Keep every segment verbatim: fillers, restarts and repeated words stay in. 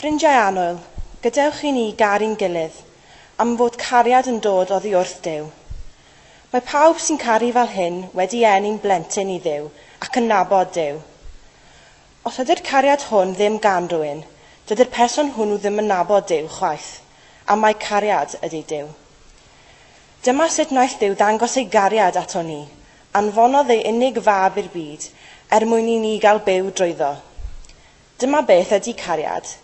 Ffrindiau annwyl, gadewch i ni garu'n gilydd, am fod cariad yn dod oddi wrth Duw. Mae pawb sy'n caru fel hyn wedi eni'n blentyn i Dduw ac yn nabod Duw. Os ydy'r cariad hwn ddim gan rywun, dydy'r person hwnnw ddim yn nabod Duw chwaith, a mae cariad ydy Duw. Dyma sut wnaeth Duw ddangos ei gariad ato ni, anfonodd ei unig fab i'r byd er mwyn i ni gael byw drwyddo. Dyma beth ydy cariad.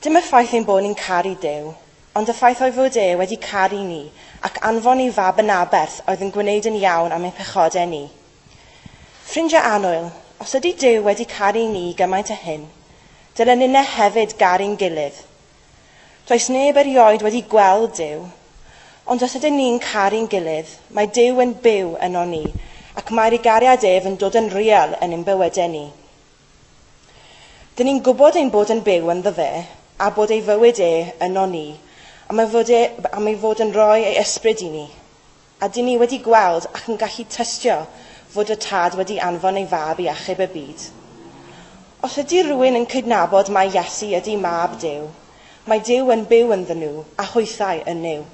Dim y ffaith ein bod ni'n caru Duw, ond y ffaith o'i fod e wedi caru ni ac anfon ei fab yn aberth oedd yn gwneud yn iawn am ein pechodau ni. Ffrindiau annwyl, os ydy Duw wedi caru ni gymaint â hyn, dylen ninne hefyd garu'n gilydd. Does neb erioed wedi gweld Duw, ond os ydyn ni'n caru'n gilydd, mae Duw yn byw yno ni, ac mae'r ei gariad ef yn dod yn real yn ein bywydau ni. Dyn ni'n gwybod ein bod yn byw ynddo fe, a bod ei fywyd e yno ni, am ei fod, e, am ei fod yn rhoi ei ysbryd i ni. A dyn ni wedi gweld ac yn gallu tystio fod y tad wedi anfon ei fab i achub y byd. Os ydy rhywun yn cydnabod mai Iesu ydy mab Duw, mae Duw yn byw ynddyn nhw a hwythau yn Nuw.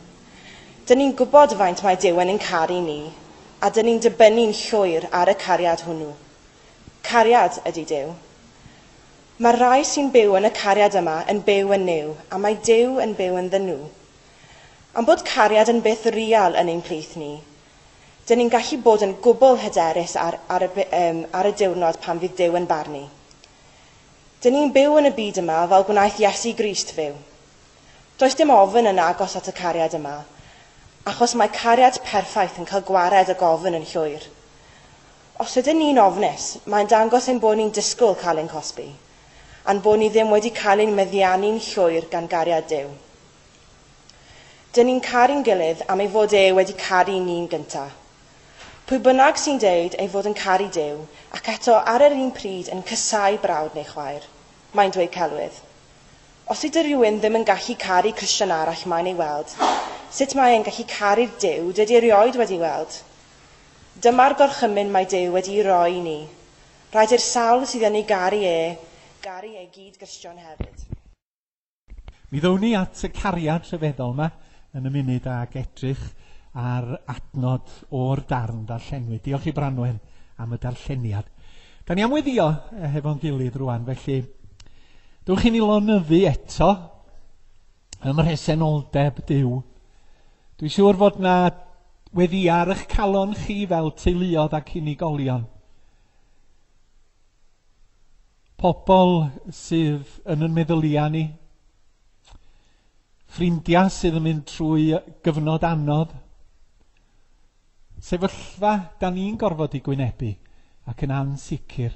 Dyn ni'n gwybod faint mae Duw yn ein caru ni, a dyn ni'n dibynnu'n llwyr ar y cariad hwnnw. Cariad ydy Duw. Mae'r rhai sy'n byw yn y cariad yma yn byw yn Nuw, a mae Duw yn byw ynddyn nhw. Am bod cariad yn beth real yn ein plith ni, dyn ni'n gallu bod yn gwbl hyderus ar, ar, y, um, ar y diwrnod pan fydd Duw yn barnu. Dyn ni'n byw yn y byd yma fel gwnaeth Iesu Grist fyw. Does dim ofn yn agos at y cariad yma, achos mae cariad perffaith yn cael gwared ag ofn yn llwyr. Os ydyn ni'n ofnus, mae'n dangos ein bod ni'n disgwyl cael ein cosbi, a'n bod ni ddim wedi cael ein meddiannu'n llwyr gan gariad Duw. Dyn ni'n caru'n gilydd am ei fod e wedi caru ni'n gyntaf. Pwy bynnag sy'n deud ei fod yn caru Duw, ac eto ar yr un pryd yn casáu brawd neu chwaer, mae'n dweud celwydd. Os ydy rhywun ddim yn gallu caru Cristion arall mae'n ei weld, sut mae e'n gallu caru'r Duw dydy erioed wedi weld? Dyma'r gorchymyn mae Duw wedi'i roi i ni. Rhaid i'r sawl sydd yn ei garu e, garu ei gyd Gristion hefyd. Mi ddown ni at y cariad rhyfeddol yma yn y munud ag edrych ar adnod o'r darn darllenwyd. Diolch i Branwen am y darlleniad. Da ni am weddio hefo'n gilydd rwan, felly dewch i ni lonyddu eto ym mhresenoldeb Duw. Dwi'n siŵr fod na weddi ar eich calon chi fel teuluoedd ac unigolion. Pobl sydd yn yn meddyliau ni, ffrindiau sydd yn mynd trwy gyfnod anodd, sefyllfa da ni'n gorfod i gwynebu ac yn ansicr.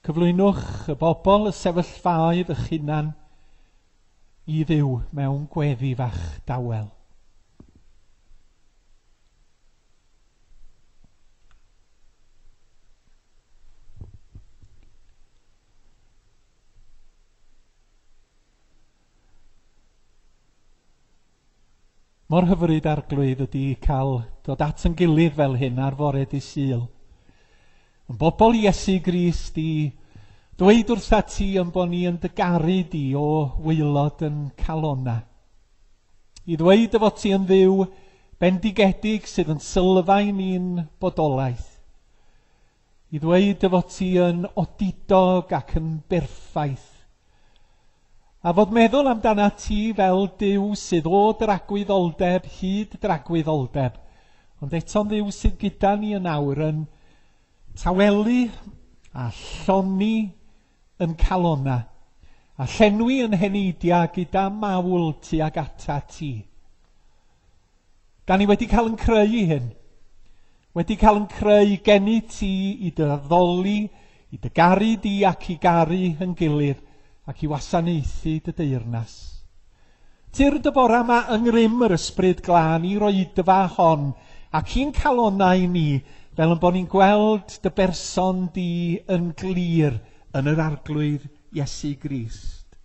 Cyflwynwch y bobl, y sefyllfaoedd eich hunan i Dduw mewn gweddi fach dawel. Mor hyfryd Arglwydd ydy cael dod at yn gilydd fel hyn ar fore dydd Sul. Yn bobl Iesu Grist i ddweud wrtha ti yn bod ni yn dy garu di o waelod yn calona. I ddweud dy fod ti yn Dduw bendigedig sydd yn sylfaen i'n bodolaeth. I ddweud dy fod ti yn odidog ac yn berffaith. A fod meddwl amdana ti fel Duw sydd o dragwyddoldeb hyd dragwyddoldeb, ond eto'n Dduw sydd gyda ni yn awr yn tawelu a llonni yn calona, a llenwi yn heneidia gyda mawl tuag ata ti. Da ni wedi cael yn creu hyn, wedi cael yn creu geni ti i dy addoli, i dy garu di ac i garu yn gilydd, ac i wasanaethu dy deyrnas. Tyrd y bora yma yng ngrym yr ysbryd glân i roedfa hon ac i'n calonau ni fel yn bod ni'n gweld dy berson di yn glir yn yr Arglwydd Iesu Grist.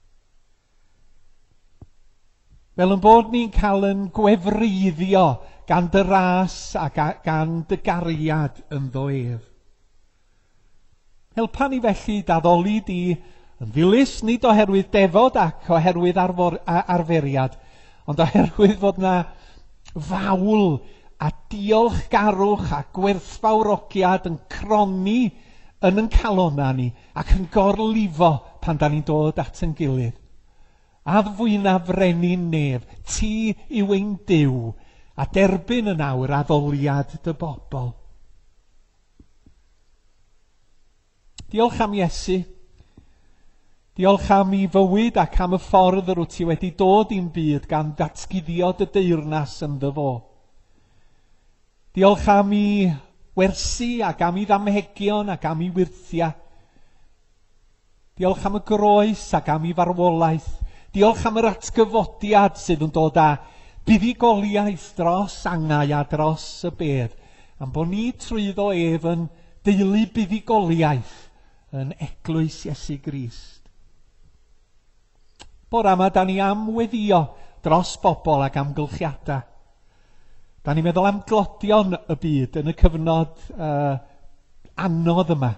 Fel yn bod ni'n cael yn gwefreiddio gan dy ras a gan dy gariad ynddo ef. Helpa ni felly daddoli di Yn ddilys nid oherwydd defod ac oherwydd arfor, arferiad, ond oherwydd fod na fawl a diolchgarwch a gwerthfawrogiad yn cronni yn yn calona ni ac yn gorlifo pan da ni'n dod at yn gilydd. Addfwyna frenin nef, ti yw ein Duw, a derbyn yn awr addoliad dy bobl. Diolch am Iesu. Diolch am ei fywyd ac am y ffordd yr wyt ti wedi dod i'n byd gan ddatguddio dy deyrnas ynddo fo. Diolch am ei wersi ac am ei ddamhegion ac am ei wyrthiau. Diolch am y groes ac am ei farwolaeth. Diolch am yr atgyfodiad sydd yn dod â buddugoliaeth dros angau a dros y bedd. Am bod ni trwyddo ef yn deulu buddugoliaeth yn eglwys Iesu Grist. Bore yma, da ni am weddio dros bobl ac amgylchiadau. Da ni'n meddwl am glodion y byd yn y cyfnod uh, anodd yma.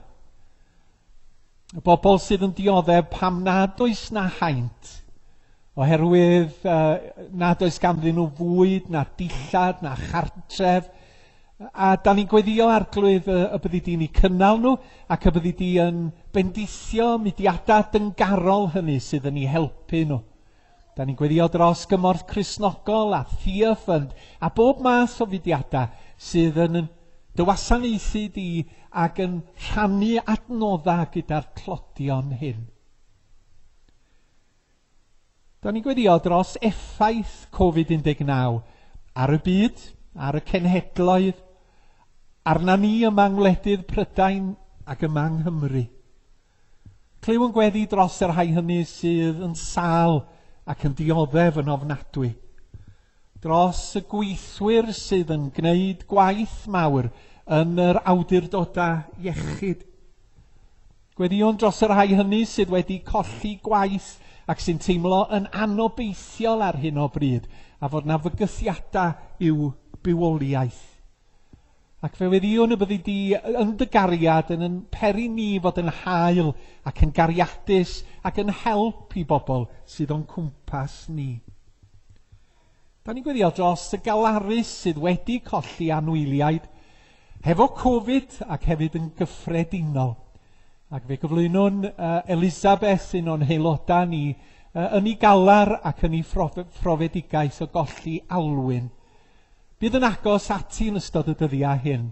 Y bobl sydd yn dioddef pam nad oes na haint, oherwydd uh, nad oes ganddyn nhw fwyd, na dillad, na chartref. A da ni'n gweddio Arglwydd y, y byddi di'n eu cynnal nhw ac y byddi di yn bendithio mudiadau dyngarol hynny sydd yn eu helpu nhw. Da ni'n gweddio dros gymorth Cristnogol a Theafund a bob math o fudiadau sydd yn dy wasanaethu di ac yn rhannu adnoddau gyda'r tlodion hyn. Da ni'n gweddio dros effaith Covid un deg naw ar y byd, ar y cenhedloedd, arna ni yma yng ngwledydd Prydain ac yma yng Nghymru. Clyw yn gweddi dros yr rhai hynny sydd yn sâl ac yn dioddef yn ofnadwy. Dros y gweithwyr sydd yn gwneud gwaith mawr yn yr awdurdodau iechyd. Gweddïwn dros y rhai hynny sydd wedi colli gwaith ac sy'n teimlo yn anobeithiol ar hyn o bryd, a fod na fygythiadau i'w bywoliaeth. Ac fe weddïwn y byddi di yn dy gariad yn yn peri ni fod yn hael ac yn gariadus ac yn help i bobl sydd o'n cwmpas ni. Da ni'n gweddio dros y galarus sydd wedi colli anwyliaid hefo Covid ac hefyd yn gyffredinol. Ac fe gyflwynwn uh, Elizabeth, un o'n haelodau ni, uh, yn ei galar ac yn ei phrofedigaeth o golli Alwyn. Bydd yn agos ati yn ystod y dyddiau hyn.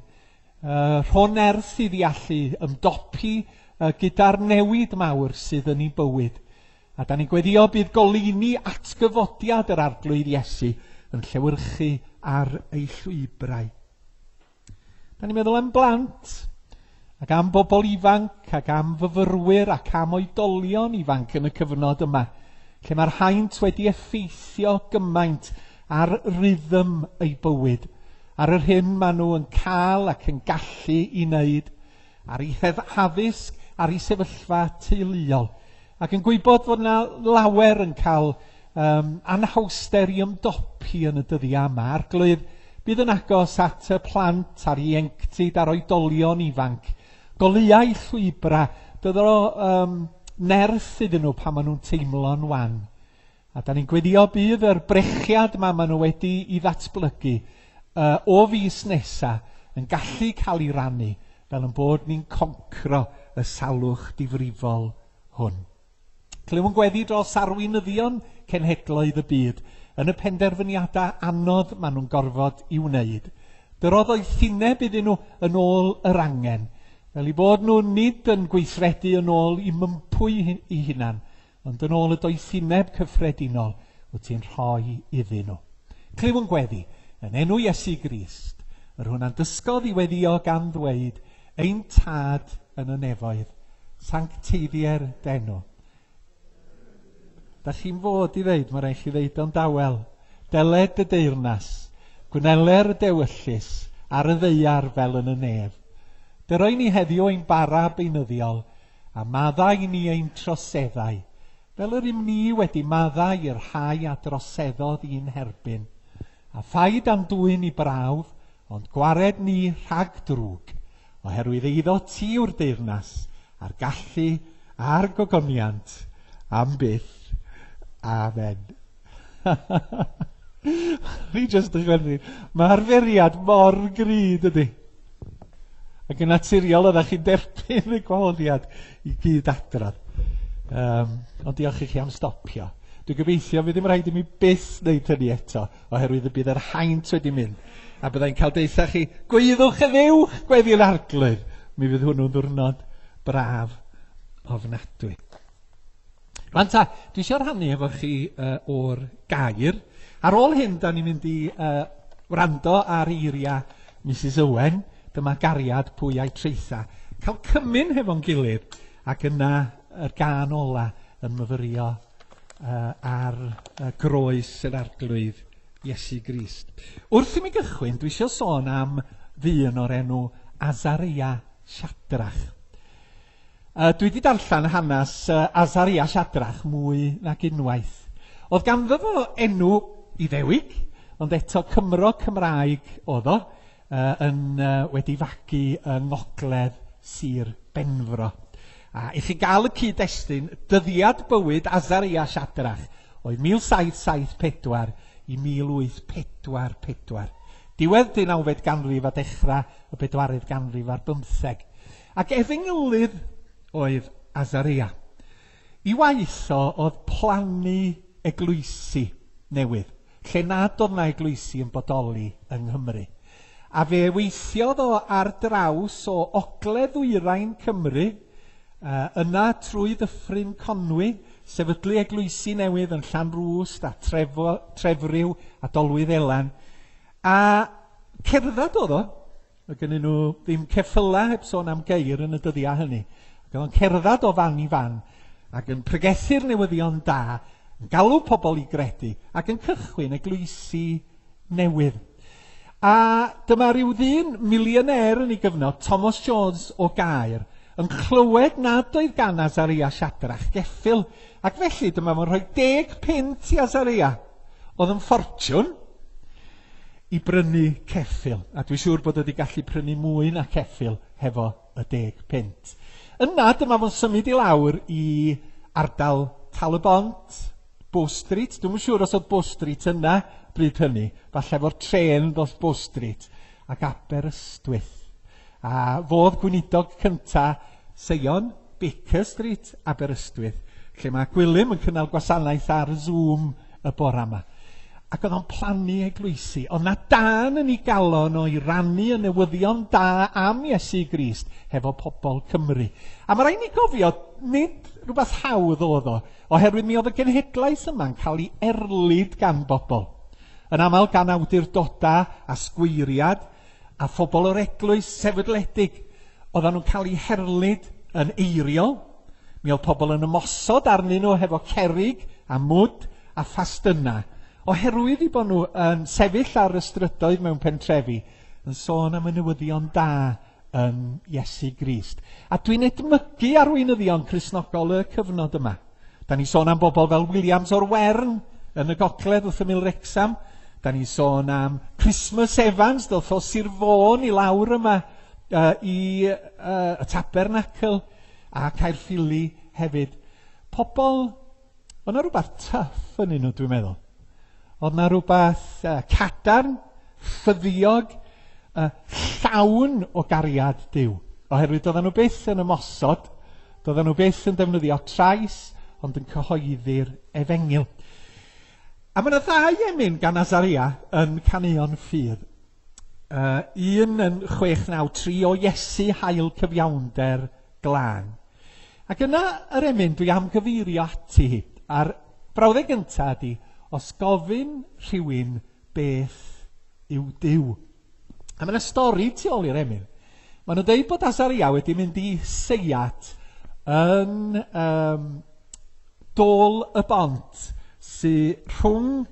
Uh, rho nerth iddi allu ymdopi uh, gyda'r newid mawr sydd yn ei bywyd. A da ni'n gweddio bydd goleuni atgyfodiad yr Arglwydd Iesu yn llewyrchu ar ei llwybrau. Da ni'n meddwl am blant, ac am bobl ifanc, ac am fyfyrwyr, ac am oedolion ifanc yn y cyfnod yma, lle mae'r haint wedi effeithio gymaint ar rhythm eu bywyd, ar yr hyn maen nhw yn cael ac yn gallu i wneud, ar eu addysg, ar eu sefyllfa teuluol, ac yn gwybod fod yna lawer yn cael um, anhawster i ymdopi yn y dyddiau yma. Arglwydd, bydd yn agos at y plant a'r ieuenctid a'r oedolion ifanc. Goleuau llwybrau, dod o um, nerth iddyn nhw pan maen nhw'n teimlo'n wan. A da ni'n gweddio bydd yr brechiad ma maen nhw wedi i ddatblygu uh, o fis nesa yn gallu cael ei rannu fel yn bod ni'n concro y salwch difrifol hwn. Clywn gweddi dros arweinyddion cenhedloedd y byd yn y penderfyniadau anodd maen nhw'n gorfod i wneud. Dyrodd doethineb iddyn nhw yn ôl yr angen, fel i bod nhw nid yn gweithredu yn ôl i mympwy i hunan, ond yn ôl y doethineb cyffredinol wyt ti'n rhoi iddyn nhw. Clywn gweddi yn enw Iesu Grist, yr hwn a'n dysgodd i weddio gan ddweud, ein tad yn y nefoedd, sancteiddier d'enw. Da chi'n fod i ddeud, mae rhaid chi ddeud o'n dawel. Deled y deyrnas, gwneler y dewyllys ar y ddaear fel yn y nef. Dyroi ni heddiw ein bara beunyddiol, a maddau i ni ein troseddau, fel yr ym ni wedi maddau i'r rhai a droseddodd i'n herbyn. A phaid a'n dwyn i brawf, ond gwared ni rhag drwg, oherwydd eiddo ti yw'r deyrnas, a'r gallu a'r gogoniant am byth. Amen. Ni jyst yn chwerthin. Mae arferiad mor gry, dydy. Ac yn naturiol oeddech chi'n derbyn y gwahoddiad i gyd adrodd. Um, ond diolch i chi am stopio. Dwi'n gobeithio fydd ddim rhaid i mi byth wneud hynny eto, oherwydd y bydd yr haint wedi mynd. A byddai'n cael deutha chi, gwyddwch yn uwch gweddi'r arglwydd. Mi fydd hwnnw'n ddiwrnod braf ofnadwy. Rwan ta, dwi eisiau rhannu efo chi uh, o'r gair. Ar ôl hyn, da ni'n mynd i uh, wrando ar eiriau Misus Owen, dyma gariad pwy a'i traetha. Cael cymun hefo'n gilydd, ac yna yr gân ola yn myfyrio uh, ar uh, groes yr arglwydd Iesu Grist. Wrth i mi gychwyn, dwi eisiau sôn am ddyn o'r enw Azaria Shadrach. Uh, dwi wedi darllen hanes uh, Azaria Shadrach mwy nag unwaith. Oedd ganddo fo enw Iddewig, ond eto Cymro Cymraeg oedd o, uh, yn, uh, wedi fagu yng Ngogledd Sir Benfro. A i chi gael y cyd-destun, dyddiad bywyd Azaria Shadrach oedd mil saith saith pedwar i mil wyth pedwar pedwar. Diwedd deunawfed ganrif a dechrau y bedwaredd ganrif ar bymtheg. Ac efengylydd oedd Azaria. I waith o oedd plannu eglwysi newydd, lle nad oedd na eglwysi yn bodoli yng Nghymru. A fe weithiodd o ar draws o ogledd ddwyrain Cymru, uh, yna trwy ddyffryn Conwy, sefydlu eglwysi newydd yn Llanrwst a Trefo, Trefriw a Dolwydd Elan. A cerdded oedd o, oedd gennyn nhw ddim ceffyla heb sôn am geir yn y dyddiau hynny. Ac oedd o'n cerdded o fan i fan ac yn pregethu'r newyddion da, yn galw pobl i gredu ac yn cychwyn eglwysi newydd. A dyma rhyw ddyn milionaire yn ei gyfnod, Thomas Jones o Gaer, yn clywed nad oedd gan Azaria Shadrach geffyl, ac felly dyma fo'n rhoi deg punt i Azaria, oedd yn ffortiwn, i brynu ceffyl. A dwi'n siŵr bod wedi gallu prynu mwy na ceffyl hefo y deg punt. Yna dyma fo'n symud i lawr i ardal Tal-y-bont, Bow Street. Dwi'm yn siŵr os oedd Bow Street yna bryd hynny. Falle efo'r trên ddoth Bow Street ac Aberystwyth. A fodd gweinidog cynta Seion, Baker Street, Aberystwyth, lle mae Gwilym yn cynnal gwasanaeth ar Zoom y bora yma. Ac oedd o'n plannu eglwysi. Oedd na dân yn ei galon o i rannu y newyddion da am Iesu Grist hefo pobl Cymru. A mae rhaid ni gofio, nid rhywbeth hawdd oedd o, oherwydd mi oedd y genhedlaeth yma'n cael ei erlid gan bobl. Yn aml gan awdurdoda a sgweiriad a phobl o'r eglwys sefydledig. Oedden nhw'n cael eu herlid yn eiriol. Mi oedd pobl yn ymosod arnyn nhw hefo cerrig a mwd a phastynau. Oherwydd i bod nhw yn sefyll ar y strydoedd mewn pentrefi, yn sôn am y newyddion da yn Iesu Grist. A dwi'n edmygu arweinyddion Cristnogol y cyfnod yma. Da ni'n sôn am bobl fel Williams o'r Wern yn y gogledd wrth ymyl Wrecsam. Da ni'n sôn am Christmas Evans, ddoth o Sir Fôn i lawr yma uh, i uh, y Tabernacl a Caerffili hefyd. Pobl, oedd yna rhywbeth tough yn nhw, dwi'n meddwl. Oedd yna rhywbeth uh, cadarn, ffyddiog, uh, llawn o gariad Duw. Oherwydd doedden nhw byth yn ymosod, doedden nhw byth yn defnyddio trais, ond yn cyhoeddi'r efengyl. A mae yna ddau emyn gan Azaria yn Caneuon Ffydd. Uh, un yn chwech naw tri o Iesu hael cyfiawnder glân. Ac yna yr emyn dwi am gyfeirio ati hi. A'r brawddeg gyntaf ydy, os gofyn rhywun beth yw Duw. A mae yna stori tu ôl i'r emyn. Maen nhw'n dweud bod Azaria wedi mynd i seiat yn um, Dôl y Bont, sydd rhwng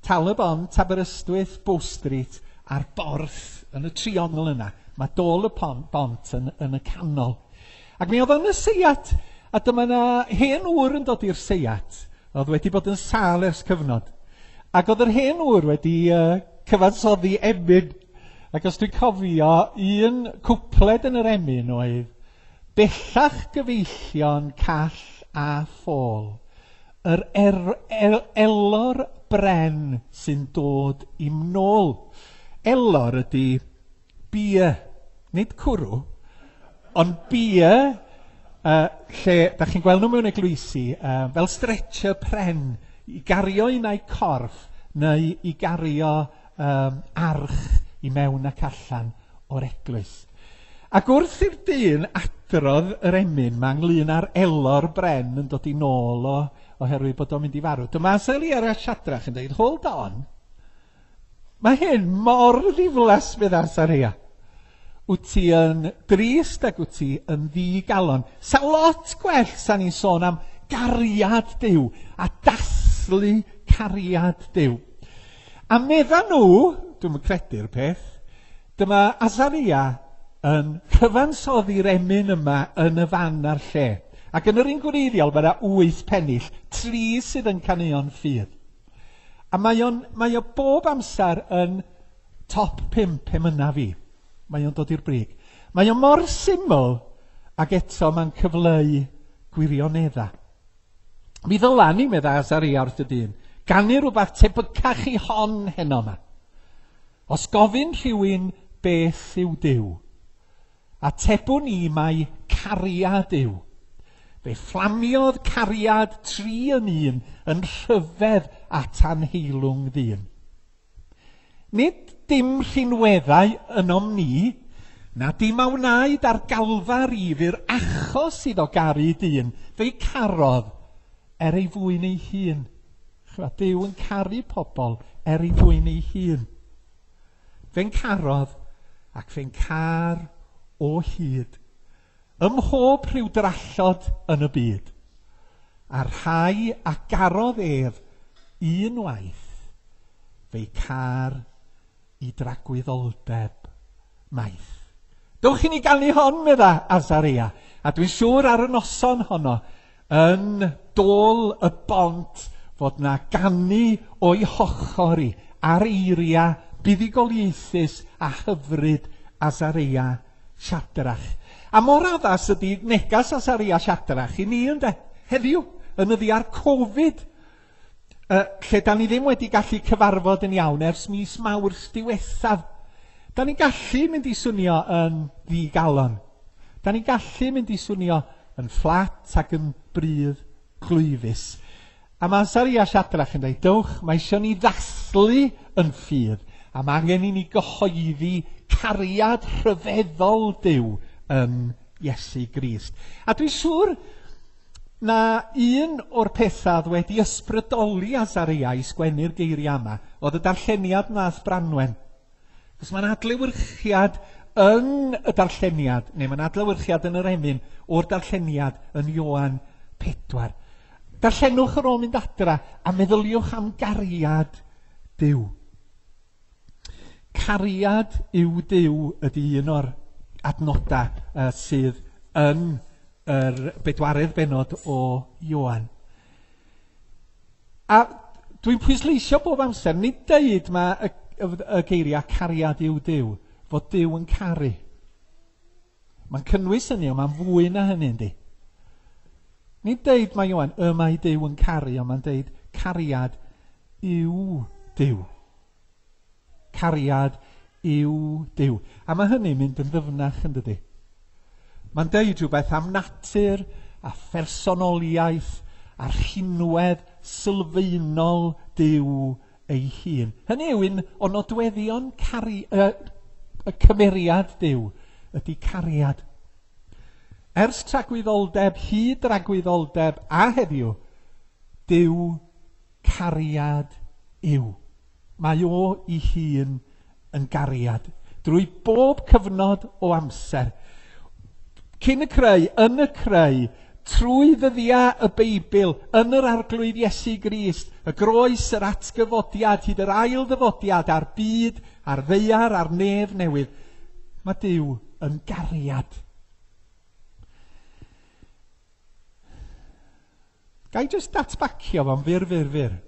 Tal-y-bont, Aberystwyth, Bow Street a'r Borth yn y triongl yna. Mae Dôl y Bont yn, yn y canol. Ac mi oedd yn y seiat, a dyma yna hen ŵr yn dod i'r seiat, oedd wedi bod yn sâl ers cyfnod. Ac oedd yr hen ŵr wedi uh, cyfansoddi emyn. Ac os dwi'n cofio, un cwpled yn yr emyn oedd, Bellach gyfeillion call a ffôl, yr er, el, elor bren sy'n dod i'm nôl. Elor ydy beer, nid cwrw, ond bier, uh, lle, da chi'n gweld nhw mewn eglwysi, uh, fel stretcher pren, i gario un a'i corff, neu i gario um, arch i mewn ac allan o'r eglwys. Ac wrth i'r dyn adrodd yr emyn ma ynglyn â'r elor bren yn dod i nôl o oherwydd bod o'n mynd i farw. Dyma Asaria a Siadrach yn dweud, hold on, mae hyn mor ddiflas, medda Asaria. Wyt ti yn drist ac wyt ti yn ddigalon. Sa lot gwell sa ni'n sôn am gariad Duw a dathlu cariad Duw. A medda nhw, dwi'm yn credu'r peth, dyma Asaria yn cyfansoddi'r emyn yma yn y fan a'r lle. Ac yn yr un gwreiddiol mae yna wyth pennill, tri sydd yn caneuon ffydd. A mae o'n, mae o bob amser yn top pump emyna fi. Mae o'n dod i'r brig. Mae o mor syml ac eto mae'n cyfleu gwirionedda. Mi ddyla ni, medda Asaria wrth y dyn, ganu rhywbeth tebycach i hon heno yma. Os gofyn rhywun beth yw Duw, atebwn i mai cariad yw. Fe fflamiodd cariad tri yn un yn rhyfedd at anheilwng ddyn. Nid dim rhinweddau ynom ni, na dim a wnaed ar Galfar i fu'r achos iddo garu dyn, fe'i carodd er ei fwyn ei hun. Chwa, Duw yn caru pobl er ei fwyn ei hun. Fe'n carodd ac fe'n car o hyd, ym mhob rhyw drallod yn y byd, a'r rhai a garodd ef unwaith, fe'i car i dragwyddoldeb maith. Dewch i ni ganu hon, medda Asaria. A dwi'n siŵr ar y noson honno, yn dôl y bont, fod na ganu o'i hochor i ar eiriau buddugoliaethus a hyfryd Asaria Siadrach. A mor addas ydy negas Asaria Siadrach i ni ynde, heddiw, yn y ddiar Covid, uh, lle da ni ddim wedi gallu cyfarfod yn iawn ers mis Mawrth diwethaf. Da ni'n gallu mynd i swnio yn ddigalon. Da ni'n gallu mynd i swnio yn fflat ac yn brudd glwyfus. A mae Asaria Siadrach yn dweud, dewch, mae eisiau ni ddathlu yn ffydd, a mae angen i ni gyhoeddi cariad rhyfeddol Duw yn Iesu Grist. A dwi'n siŵr na un o'r pethau wedi ysbrydoli Asaria i sgwennu'r geiriau yma oedd y darlleniad nath Branwen. Cos mae'n adlewyrchiad yn y darlleniad, neu mae'n adlewyrchiad yn yr emyn o'r darlleniad yn Ioan pedwar. Darllenwch ar ôl mynd adra a meddyliwch am gariad Duw. Cariad yw Duw ydy un o'r adnodau uh, sydd yn yr bedwaredd bennod o Ioan. A dwi'n pwysleisio bob amser, nid deud mae y, y, y geiriau cariad yw Duw, fod Duw yn caru. Mae'n cynnwys hynny, ond mae'n fwy na hynny, yndi? Nid deud mae Ioan, y mae Duw yn caru, ond mae'n deud cariad yw Duw. Cariad yw Duw. A mae hynny'n mynd yn ddyfnach, yn dydi? Mae'n deud rhywbeth am natur a phersonoliaeth a rhinwedd sylfaenol Duw ei hun. Hynny yw un o nodweddion cari, uh, y cymeriad Duw ydy cariad. Ers tragwyddoldeb, hyd dragwyddoldeb a heddiw, Duw cariad yw. Mae o ei hun yn gariad. Drwy bob cyfnod o amser. Cyn y creu, yn y creu, trwy ddyddiau y Beibl, yn yr Arglwydd Iesu Grist, y groes, yr atgyfodiad, hyd yr ail ddyfodiad a'r byd, a'r ddaear, a'r nef newydd, mae Duw yn gariad. Ga i jyst datbacio fo'n fyr, fyr, fyr.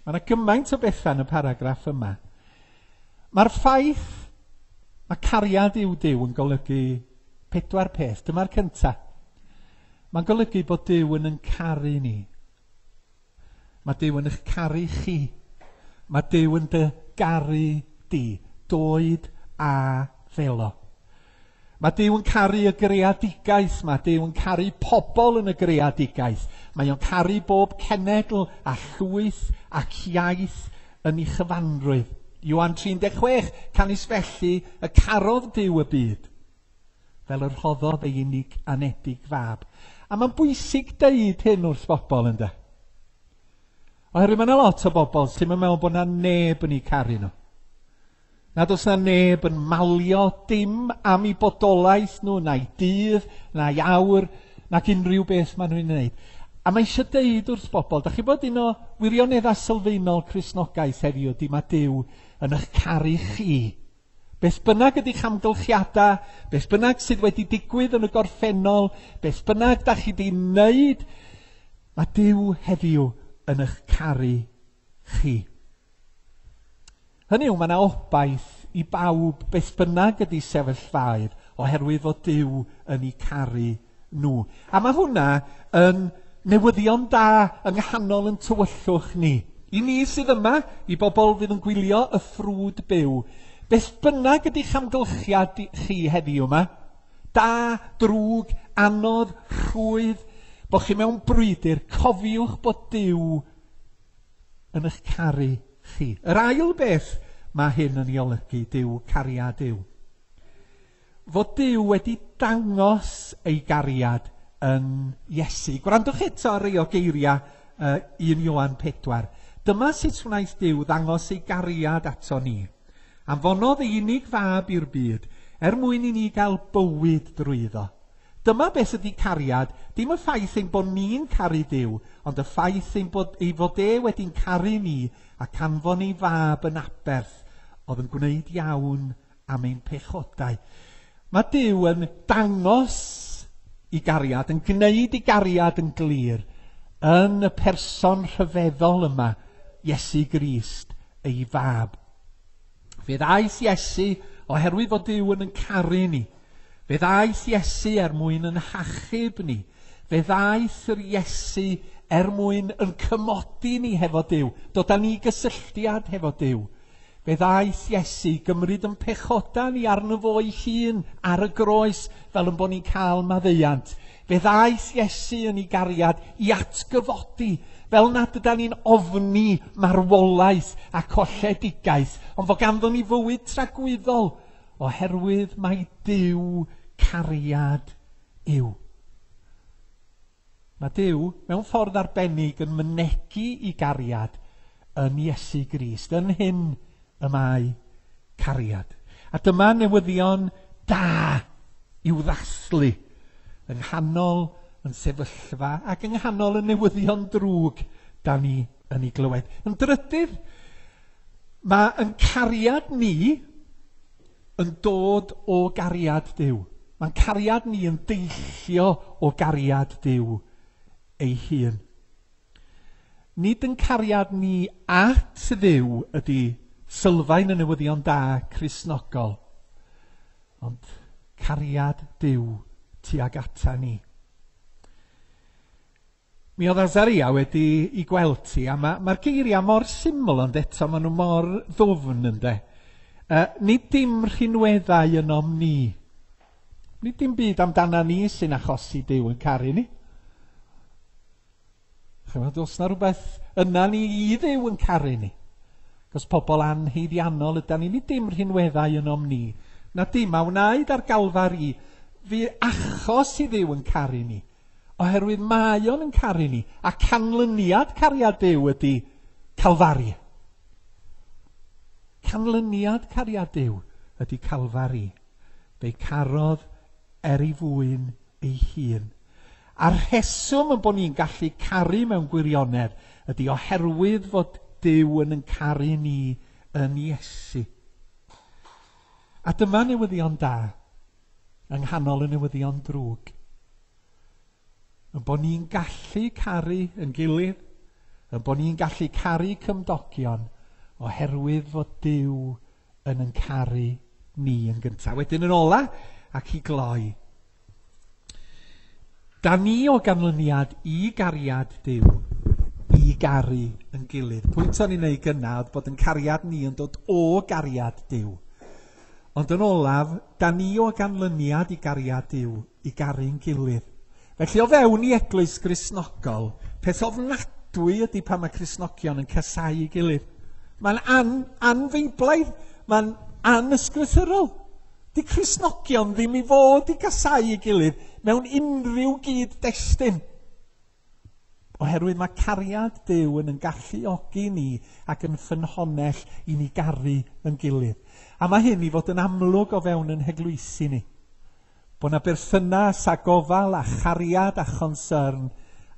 Mae yna gymaint o bethau yn y paragraff yma. Mae'r ffaith mae cariad yw Duw yn golygu Pedwar peth. Dyma'r cyntaf. Mae'n golygu bod Duw yn yn caru ni. Mae Duw yn eich caru chi. Mae Duw yn dy garu di. Doed a ddelo. Mae Duw yn caru y greadigaeth. Mae Duw yn caru pobl yn y greadigaeth. Mae o'n caru bob cenedl a llwyth ac iaith yn ei chyfanrwydd. Ioan tri deg chwech, canys felly y carodd Duw y byd, fel yr rhoddodd ei unig anedig fab. A mae'n bwysig deud hyn wrth bobl, ynde? Oherwydd mae yna lot o bobl sy'n meddwl bod yna neb yn eu caru nhw. Nad oes yna neb yn malio dim am eu bodolaeth nhw, na'i dydd, na'i awr, nac unrhyw beth maen nhw'n wneud. A mae eisiau deud wrth bobl, da chi bod un o wirioneddau sylfaenol Cristnogaeth heddiw, di mae Duw yn eich caru chi. Beth bynnag ydy'ch amgylchiadau, beth bynnag sydd wedi digwydd yn y gorffennol, beth bynnag da chi wedi wneud, mae Duw heddiw yn eich caru chi. Hynny yw, mae yna obaith i bawb beth bynnag ydy sefyllfaoedd oherwydd fod Duw yn eu caru nhw. A mae hwnna yn newyddion da yng nghanol yn tywyllwch ni. I ni sydd yma, i bobl fydd yn gwylio y ffrwd byw, beth bynnag ydy'ch amgylchiad chi heddiw yma, da, drwg, anodd, rhwydd, bod chi mewn brwydr, cofiwch bod Duw yn eich caru chi. Yr ail beth mae hyn yn ei olygu, Duw, cariad Duw. Fod Duw wedi dangos ei gariad yn Iesu. Gwrandwch eto ar rei o geiriau uh, un Ioan pedwar. Dyma sut wnaeth Duw ddangos ei gariad ato ni. Anfonodd ei unig fab i'r byd, er mwyn i ni gael bywyd drwyddo. Dyma beth ydy cariad, dim y ffaith ein bod ni'n caru Duw, ond y ffaith ein bod ei fod e wedi'n caru ni ac anfon ei fab yn aberth, oedd yn gwneud iawn am ein pechodau. Mae Duw yn dangos i gariad, yn gwneud i gariad yn glir, yn y person rhyfeddol yma, Iesu Grist, ei fab. Fe ddaeth Iesu oherwydd fod Duw yn yn caru ni. Fe ddaeth Iesu er mwyn yn hachub ni. Fe ddaeth yr Iesu er mwyn yn cymodi ni hefo Duw, dod â ni gysylltiad hefo Duw. Fe ddaeth Iesu gymryd yn pechoda ni arno fo ei hun ar y groes fel yn bod ni'n cael maddeuant. Fe ddaeth Iesu yn ei gariad i atgyfodi, fel nad ydan ni'n ofni marwolaeth a colledigaeth, ond fod ganddo ni fywyd tragwyddol, oherwydd mai Duw cariad yw. Mae Duw mewn ffordd arbennig yn mynegi i gariad yn Iesu Grist. Yn hyn y mae cariad. A dyma newyddion da i'w ddathlu yng nghanol yn sefyllfa ac yng nghanol y newyddion drwg da ni yn ei glywed. Yn drydydd, mae yn cariad ni yn dod o gariad Duw. Mae'n cariad ni yn deillio o gariad Duw ei hun. Nid yn cariad ni at Dduw ydy sylfaen y newyddion da Cristnogol, ond cariad Duw tuag ata ni. Mi oedd Azaria wedi i gweld ti, a mae'r ma geiriau mor syml, ond eto maen nhw mor ddwfn, ynde. Uh, nid dim rhinweddau ynom ni. Nid dim byd amdana ni sy'n achosi Duw yn caru ni. Chymod, oes na rhywbeth yna ni i Dduw yn caru ni. Cos pobl anhaeddiannol ydan ni, nid dim rhinweddau ynom ni. Na dim a wnaed ar Galfari fi achos i Dduw yn caru ni. Oherwydd mae o'n yn caru ni, a canlyniad cariad Duw ydy Calfari. Canlyniad cariad Duw ydy Calfari. Fe'i carodd er ei fwyn ei hun. A'r rheswm yn bod ni'n gallu caru mewn gwirionedd ydy oherwydd fod Duw yn yn caru ni yn Iesu. A dyma newyddion da yng nghanol y newyddion drwg. Yn bod ni'n gallu caru yn gilydd, yn bod ni'n gallu caru cymdogion, oherwydd fod Duw yn yn caru ni yn gyntaf. Wedyn yn ola, ac i gloi, Da ni o ganlyniad i gariad Duw, i garu yn gilydd. Pwynt o'n i'n neud gynna oedd bod yn cariad ni yn dod o gariad Duw. Ond yn olaf, da ni o ganlyniad i gariad Duw, i garu'n gilydd. Felly o fewn i eglwys Gristnogol, peth ofnadwy ydy pan mae Cristnogion yn casáu ei gilydd. Mae'n an, anfeiblaidd, mae'n anysgrythurol. Di Cristnogion ddim i fod i gasáu ei gilydd mewn unrhyw gyd-destun. Oherwydd mae cariad Duw yn yn galluogi ni ac yn ffynhonnell i ni garu yn gilydd. A mae hyn i fod yn amlwg o fewn yn heglwysi ni. Bod 'na berthynas a gofal a chariad a chonsyrn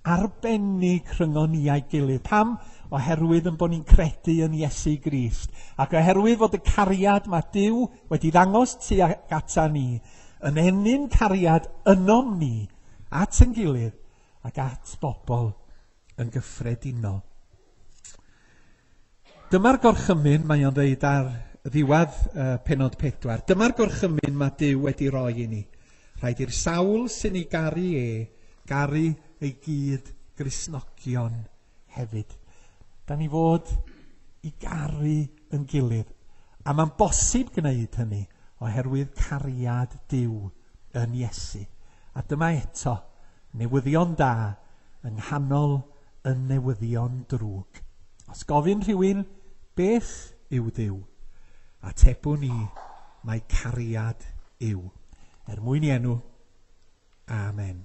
arbennig rhyngon ni a'i gilydd. Pam? Oherwydd yn bod ni'n credu yn Iesu Grist. Ac oherwydd fod y cariad mae Duw wedi ddangos tuag ata ni yn ennyn cariad ynom ni at yn gilydd ac at bobl yn gyffredinol. Dyma'r gorchymyn, mae o'n dweud ar ddiwedd uh, pennod pedwar. Dyma'r gorchymyn mae Duw wedi roi i ni. Rhaid i'r sawl sy'n ei garu e, garu ei gyd Gristnogion hefyd. Da ni fod i garu yn gilydd. A mae'n bosib gwneud hynny oherwydd cariad Duw yn Iesu. A dyma eto newyddion da yng nghanol y newyddion drwg. Os gofyn rhywun, beth yw Duw? Atebwn ni, mae cariad yw. Er mwyn i enw, amen.